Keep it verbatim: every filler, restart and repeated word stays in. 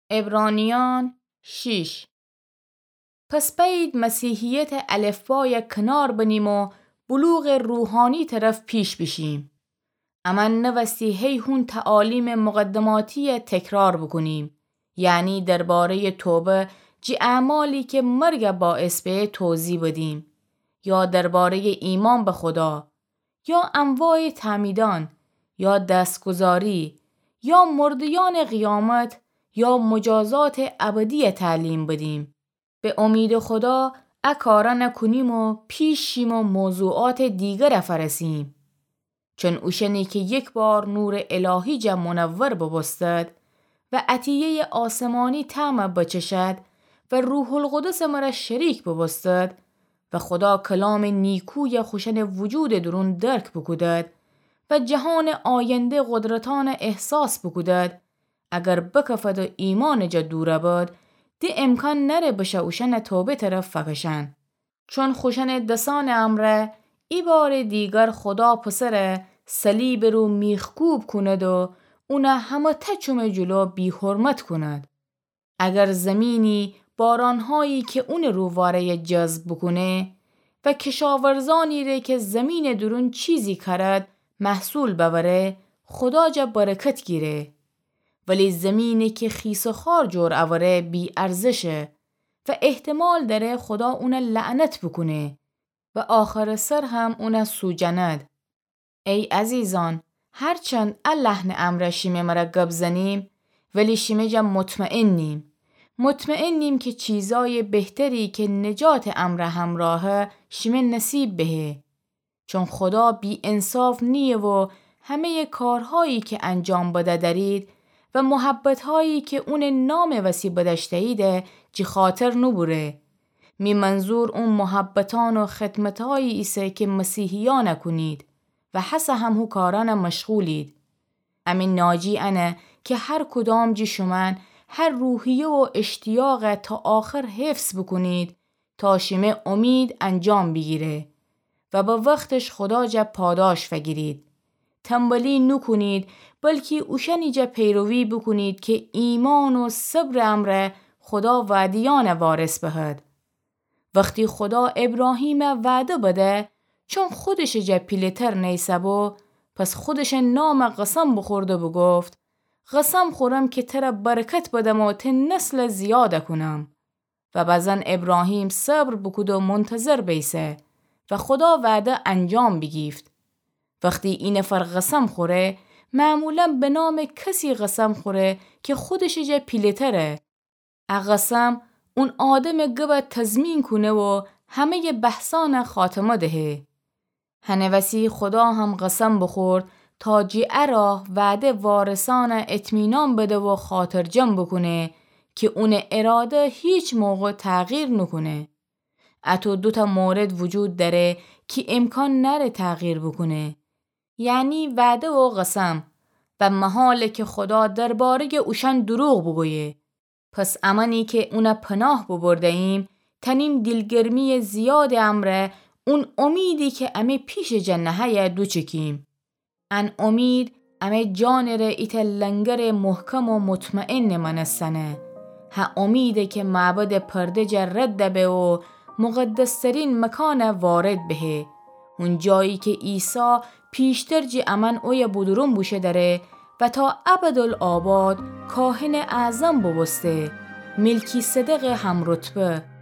عبرانیان شیش. پس بأیید مسیحیتٚ الفبایَ کنار بنیم و بلوغٚ روحانی طرف پیش بیشیم. امأن نوستی هی هون تعالیم مقدماتیَ تکرار بوکونیم، یعنی درباره‌یٚ توبه جٚه اعمالی که مرگَ باعث به توضیح بدیم، یا درباره‌یٚ ایمأن به خدا، یا انواعٚ تعمیدأن، یا دستگذاری، یا مرده‌یأنٚ قیامت، یا مجازاتٚ ابدیَ تعلیم بدیم. به امیدٚ خدا ا کارأنَ کونیم و پیش شیم و موضوعاتٚ دیگرَ فأرسیم. چون اوشأنی که یک بار نورٚ الهی جا منور بوبوستد و عطیه‌یٚ آسمانی طعمَ بچشد و روح‌القدسٚ مرا شریک بوبوستد و خدا کلامٚ نیکویَ خوشأنٚ وجودٚ دورون درک بوکودد و جهانٚ آینده قدرتأنَ احساس بوکودد، اگر بکفد و ایمأنٚ جا دورَ بد، د امکان نأره بشه اوشأنَ توبه طرف فکشأن. چون خوشأنٚ دسأنٚ امرأ ای بارٚ دیگر خدا پسرَ صلیبٚ رو میخکوب کند و اونَ همه‌تأ چومٚ جلو بی‌حرمت کند. اگر زمینی بارانهایی که اونٚ رو واره‌یَ جذب بوکونه و کشاورزأنی ره که زمینٚ دورون چیزی کأرد محصول بأوره، خدا جا برکت گیره. ولی زمینی که خیس و خار جور اوره بی‌ارزشه و احتمال دأره خدا اونَ لعنت بوکونه و آخرٚ سر هم اونَ سوجأند. ای عزیزأن، هرچند ا لحنٚ امرأ شیمه مرا گب زنیم، ولی شیمه جا مطمئن نیم. مطمئن نیم که چیزأیٚ بهتری که نجاتٚ امرأ همراهه شیمه نصیب بهه. چون خدا بی‌انصاف نییه و همه‌یٚ کارهایی که انجام بده دأرید و محبتهایی که اونٚ نامٚ وسی بدأشته‌ییده جی خاطر نوبوره. می منظور او محبتأن و خدمتهایی ایسه که مسیحیأنَ کونید و هسه هم هو کارأنَ مشغولید. امی ناجی انه که هر کدام جی شومأن هر روحیه و اشتیاقَ تا آخر حفظ بوکونید تا شیمه امید انجام بیگیره و به وختش خدا جا پاداش فگیرید. تنبلی نوکونید، بلکی اوشأنی جا پیروی بوکونید که ایمأن و صبرٚ امرأ خدا وعده‌یأنَ وارث بهد. وختی خدا ابراهیمَ وعده بده، چون خودشٚ جا پیله‌تر نیسه‌بو، پس خودشٚ نامَ قسم بوخورد و بوگفت: قسم خورم که ترَ برکت بدم و ته نسلَ زیادَ کونم. و بزن ابراهیم صبر بوکود و منتظر بیسه و خدا وعده انجام بیگیفت. وختی اینفر قسم خوره، معمولاً به نامٚ کسی قسم خوره که خودشٚ جا پیله‌تره. ا قسم اون آدمٚ گبَ تضمین کونه و همه‌یٚ بحثأنَ خاتمه دهه. هنٚ وسی خدا هم قسم بوخورد تا جی ا راه وعده وارثأنَ اطمینان بده و خاطرجم بوکونه که اونٚ اراده هیچ موقع تغییر نوکونه. اطو دوتأ مورد وجود دأره که امکان نأره تغییر بوکونه، یعنی وعده و قسم، و محاله که خدا درباره‌یٚ اوشأن دروغ بوگویه. پس امأنی که اونَ پناه بوبرده‌ییم، تأنیم دیلگرمی‌یٚ زیادٚ امرأ اون امیدی که امه پیشٚ جا نهه‌یه دوچکیم. ان امید امه جانٚ ره ایتأ لنگرٚ محکم و مطمئنٚ مأنستنه. هه امیده که معبدٚ پرده جا رد به و مقدس‌ترین مکانَ وارد بهه. اون جایی که عیسی پیشتر جی امأن اویه بودورون بوشو دأره و تا ابدالآباد کاهنٚ اعظم بوبوسته، ملکی‌صدقٚ همرتبه.